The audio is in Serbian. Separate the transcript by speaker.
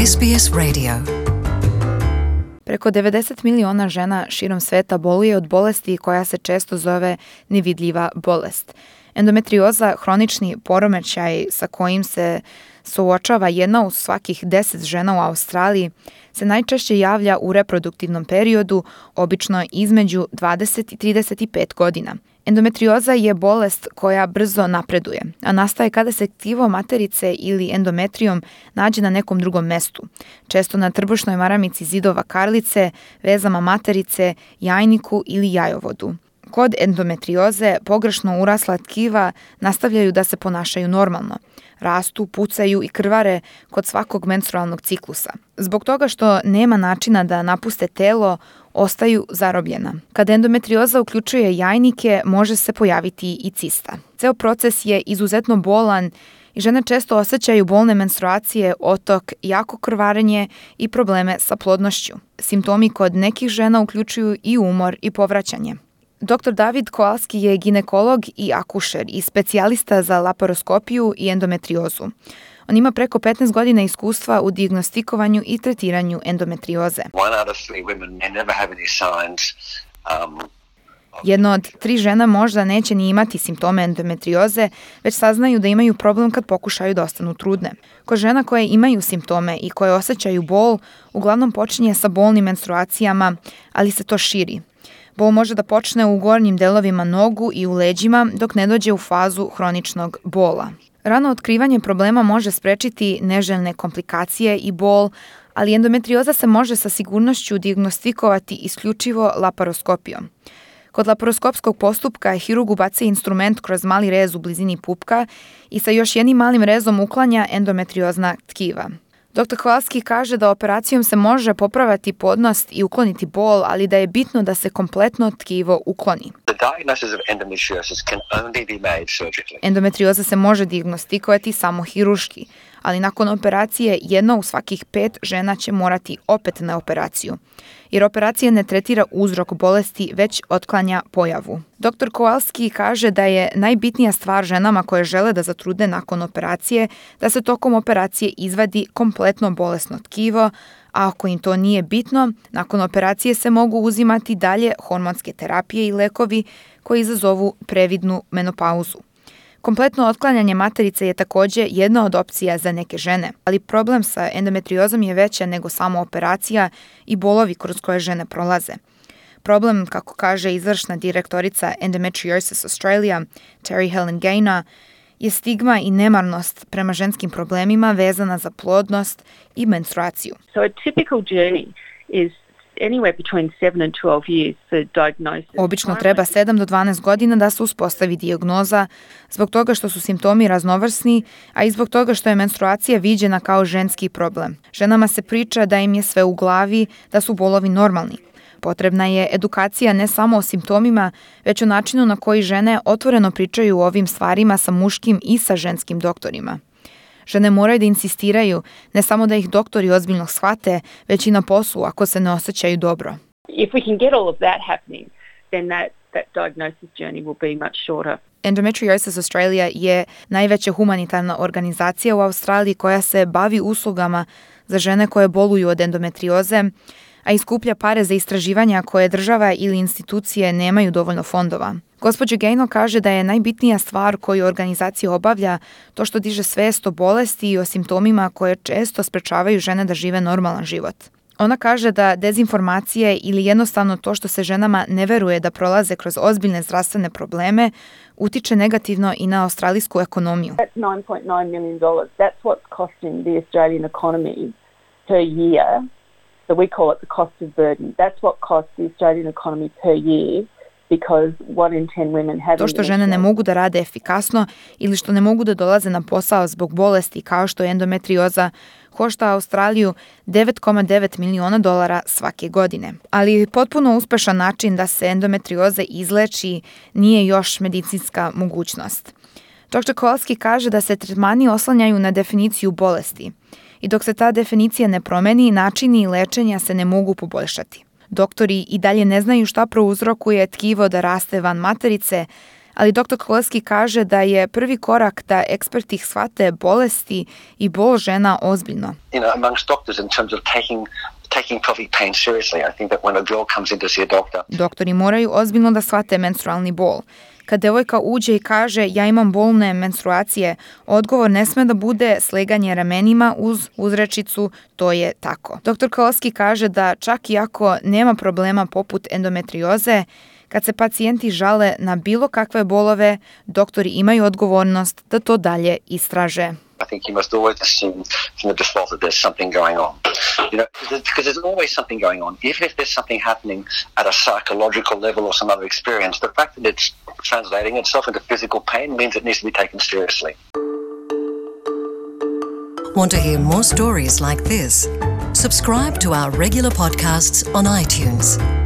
Speaker 1: SBS Radio. Preko 90 miliona žena širom sveta boluje od bolesti koja se često zove nevidljiva bolest. Endometrioza, hronični poremećaj sa kojim se suočava jedna od svakih 10 žena u Australiji, se najčešće javlja u reproduktivnom periodu, obično između 20 i 35 godina. Endometrioza je bolest koja brzo napreduje, a nastaje kada se tkivo materice ili endometrijom nađe na nekom drugom mestu, često na trbušnoj maramici zidova karlice, vezama materice, jajniku ili jajovodu. Kod endometrioze pogrešno urasla tkiva nastavljaju da se ponašaju normalno. Rastu, pucaju i krvare kod svakog menstrualnog ciklusa. Zbog toga što nema načina da napuste telo, ostaju zarobljena. Kad endometrioza uključuje jajnike, može se pojaviti i cista. Ceo proces je izuzetno bolan i žene često osjećaju bolne menstruacije, otok, jako krvarenje i probleme sa plodnošću. Simptomi kod nekih žena uključuju i umor i povraćanje. Dr. David Kowalski je ginekolog i akušer i specijalista za laparoskopiju i endometriozu. On ima preko 15 godina iskustva u dijagnostikovanju i tretiranju endometrioze. Jedno od 3 žena možda neće ni imati simptome endometrioze, već saznaju da imaju problem kad pokušaju da ostanu trudne. Kod žena koje imaju simptome i koje osjećaju bol, uglavnom počinje sa bolnim menstruacijama, ali se to širi. Bol može da počne u gornjim delovima nogu i u leđima dok ne dođe u fazu hroničnog bola. Rano otkrivanje problema može sprečiti neželjene komplikacije i bol, ali endometrioza se može sa sigurnošću dijagnostikovati isključivo laparoskopijom. Kod laparoskopskog postupka hirurg ubaci instrument kroz mali rez u blizini pupka i sa još jednim malim rezom uklanja endometriozna tkiva. Dr. Kowalski kaže da operacijom se može popraviti plodnost i ukloniti bol, ali da je bitno da se kompletno tkivo ukloni. Endometrioza se može dijagnostikovati samo hirurški, ali nakon operacije jedna u svakih 5 žena će morati opet na operaciju, jer operacija ne tretira uzrok bolesti, već otklanja pojavu. Dr. Kowalski kaže da je najbitnija stvar ženama koje žele da zatrude nakon operacije da se tokom operacije izvadi kompletno bolesno tkivo, a ako im to nije bitno, nakon operacije se mogu uzimati dalje hormonske terapije i lekovi koji izazovu previdnu menopauzu. Kompletno otklanjanje materice je također jedna od opcija za neke žene, ali problem sa endometriozom je veća nego samo operacija i bolovi kroz koje žene prolaze. Problem, kako kaže izvršna direktorica Endometriosis Australia, Terry Helen Gaynor, je stigma i nemarnost prema ženskim problemima vezana za plodnost i menstruaciju.
Speaker 2: So a typical journey is anywhere between 7 and 12 years for diagnosis.
Speaker 1: Obično treba 7 do 12 godina da se uspostavi dijagnoza zbog toga što su simptomi raznovrsni, a i zbog toga što je menstruacija viđena kao ženski problem. Ženama se priča da im je sve u glavi, da su bolovi normalni. Potrebna je edukacija ne samo o simptomima, već o načinu na koji žene otvoreno pričaju o ovim stvarima sa muškim i sa ženskim doktorima. Žene moraju da insistiraju, ne samo da ih doktori ozbiljno shvate, već i na poslu ako se ne osjećaju dobro.
Speaker 2: If we can get all of that happening, then that diagnosis journey will be much shorter.
Speaker 1: Endometriosis Australia je najveća humanitarna organizacija u Australiji koja se bavi uslugama za žene koje boluju od endometrioze, a iskuplja pare za istraživanja koje država ili institucije nemaju dovoljno fondova. Gospođa Gaynor kaže da je najbitnija stvar koju organizacija obavlja to što diže svest o bolesti i o simptomima koje često sprečavaju žene da žive normalan život. Ona kaže da dezinformacije ili jednostavno to što se ženama ne veruje da prolaze kroz ozbiljne zdravstvene probleme utiče negativno i na australijsku ekonomiju.
Speaker 2: That's $9.9 million. That's what's costing the Australian economy per year. So we call it the cost of burden. That's what costs the Australian economy per year.
Speaker 1: To što žene ne mogu da rade efikasno ili što ne mogu da dolaze na posao zbog bolesti kao što je endometrioza, košta Australiju $9,9 miliona svake godine. Ali potpuno uspešan način da se endometrioza izleči nije još medicinska mogućnost. Dr. Kowalski kaže da se tretmani oslanjaju na definiciju bolesti i dok se ta definicija ne promeni, načini lečenja se ne mogu poboljšati. Doktori i dalje ne znaju šta prouzrokuje tkivo da raste van materice, Ali dr. Koleski kaže da je prvi korak da eksperti shvate bolesti i bol žena ozbiljno.
Speaker 3: Amongst doctors in terms of taking pelvic pain seriously. I think that when a girl comes in to see a doctor.
Speaker 1: Doktori moraju ozbiljno da shvate menstrualni bol. Kad devojka uđe i kaže ja imam bolne menstruacije, odgovor ne sme da bude sleganje ramenima uz uzrečicu to je tako. Dr. Koleski kaže da čak i ako nema problema poput endometrioze, kad se pacijenti žale na bilo kakve bolove, doktori imaju odgovornost da to dalje istraže.
Speaker 3: I think you must always assume from the default that there's something going on. Because there's always something going on. If there's something happening at a psychological level or some other experience, the fact that it's translating itself into physical pain means it needs to be taken seriously.
Speaker 4: Want to hear more stories like this? Subscribe to our regular podcasts on iTunes.